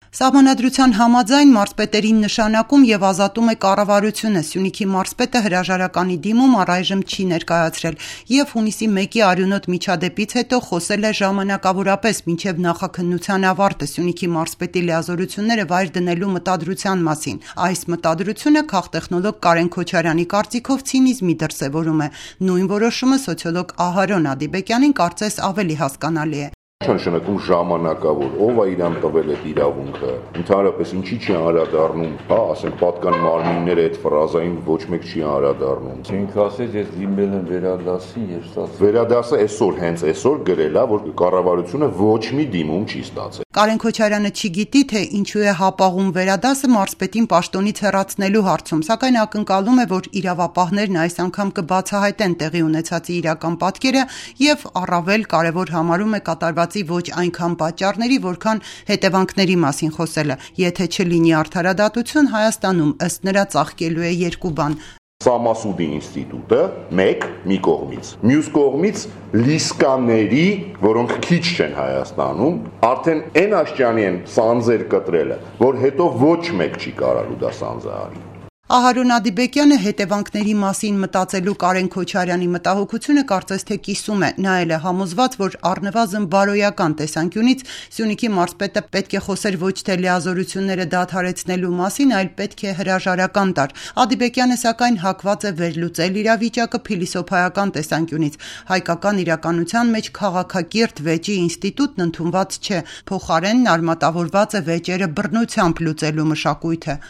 Սահմանադրության համաձայն մարզպետերին նշանակում եւ ազատում է կառավարությունը։ Սյունիքի մարզպետը հրաժարականի դիմում առայժմ չի ներկայացրել եւ հունիսի 1-ի արյունոտ միջադեպից հետո խոսել է ժամանակավորապես մինչեւ նախաքննության ավարտը Սյունիքի մարզպետի լիազորությունները վայր դնելու մտադրության մասին։ Այս մտադրությունը քաղտեխնոլոգ Կարեն Քոչարյանի կարծիքով ցինիզմի դրսեւորում է։ Նույն որոշումը սոցիոլոգ Ահարոն Ադիբեկյանին կարծես ավելի հասկանալի է։ Նշանակում ժամանակավոր, ով է իրան տվել այդ իրավունքը, ընդհանրապես ինչի չի անդրադառնում, ասենք պատկան մարմինները այդ ֆրազային ոչ մեկ չի անդրադառնում։ Չենք ասել, ես դիմել եմ վերադասին եւ ստացել։ Վերադասը հենց այսօր գրել է, որ կառավարությունը ոչ մի դիմում չի ստացել։ Կարեն Քոչարյանը չգիտի, թե ինչու է հապաղում վերադասը մարզպետին պաշտոնից հեռացնելու հարցում, սակայն ակնկալում է, որ իրավապահներն այս անգամ կբացահայտեն տեղի ունեցածի իրական պատկերը եւ առավել կարեւոր համարում է կատարվածի ոչ այնքան պատճառների, որքան հետևանքների մասին խոսելը։ Եթե չլինի արդարադատություն, Հայաստանում ըստ նրա ծաղկելու է երկու բան։ Սամասուդի ինստիտուտը մի կողմից, մյուս կողմից լիսկաների, որոնք քիչ չեն Հայաստանում, արդեն այն աշճանի են սանձեր կտրելը, որ հետո ոչ մեկ չի կարալու դա սանձը արի։ Ահարոն Ադիբեկյանը հետևանքների մասին մտածելու Կարեն Քոչարյանի մտահոգությունը կարծես թե կիսում է, նա էլ է համոզված, որ առնվազն բարոյական տեսանկյունից Սյունիքի մարզպետը պետք է խոսեր ոչ թե լիազորությունները դադարեցնելու մասին, այլ պետք է հրաժարական տար։ Ադիբեկյանը սակայն հակված է վերլուծել իրավիճակը փիլիսոփայական տեսանկյունից։ Հայկական իրականության մեջ քաղաքակիրթ վեճի ինստիտուտն ընդունված չէ, փոխարենն արմատավորված է վեճերը բռնությամբ լուծելու մշակույթը։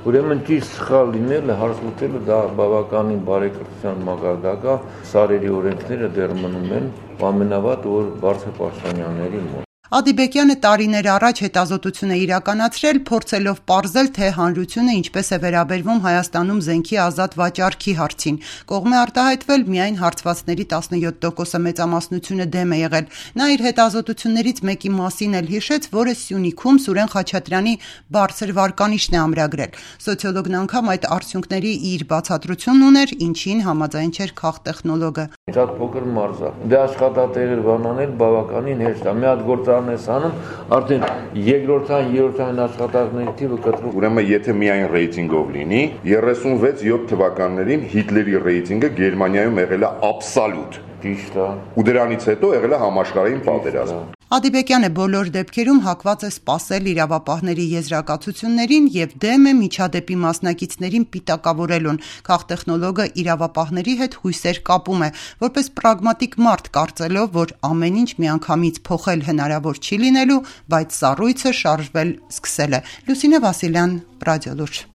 Ուրեմն ճիշտ սխալ լինելը, հարց լուծելը դա բավականին բարեկրթության մակարդակ է, սարերի օրենքները դեռ մնում են ամենավատ որ բարձր պաշտոնյաների մոտ։ Ադիբեկյանը տարիներ առաջ հետազոտություն է իրականացրել, փորձելով պարզել, թե հանրությունը ինչպես է վերաբերվում Հայաստանում զենքի ազատ վաճառքի հարցին։ Կողմ է արտահայտվել միայն հարցվածների 17%-ը մեծամասնությունը դեմ է եղել։ Նա իր հետազոտություններից մեկի մասին էլ հիշեց, որը Սյունիքում Սուրեն Խաչատրյանի բարձր վարկանիշն է ամրագրել։ Սոցիոլոգն անգամ այդ արդյունքների իր բացատրությունն ուներ, ինչին համաձայն չէր քաղտեխնոլոգը։ Շատ փոքր մարզ է։ Դե աշխատատեղեր բանանել բավականին հեշտ է։ Մի հատ գործարան ես անում, արդեն երկրորդային, երրորդային աշխատանքների թիվը կտրում։ Ուրեմն եթե միայն ռեյտինգով լինի, 36-7 թվականներին Հիտլերի ռեյտինգը Գերմանիայում եղել է աբսոլյուտ։ Ճիշտ է։ Ու դրանից հետո եղել է համաշխարհային պատերազմ։ Ադիբեկյանը բոլոր դեպքերում հակված է սպասել իրավապահների եզրակացություններին եւ դեմ է միջադեպի մասնակիցներին պիտակավորելուն։ Քաղտեխնոլոգը իրավապահների հետ հույսեր կապում է, որպես պրագմատիկ մարդ կարծելով, որ ամեն ինչ միանգամից փոխել հնարավոր չի լինելու, բայց սառույցը շարժվել սկսել է։ Լուսինե Վասիլյան, Ռադիոլուրջ։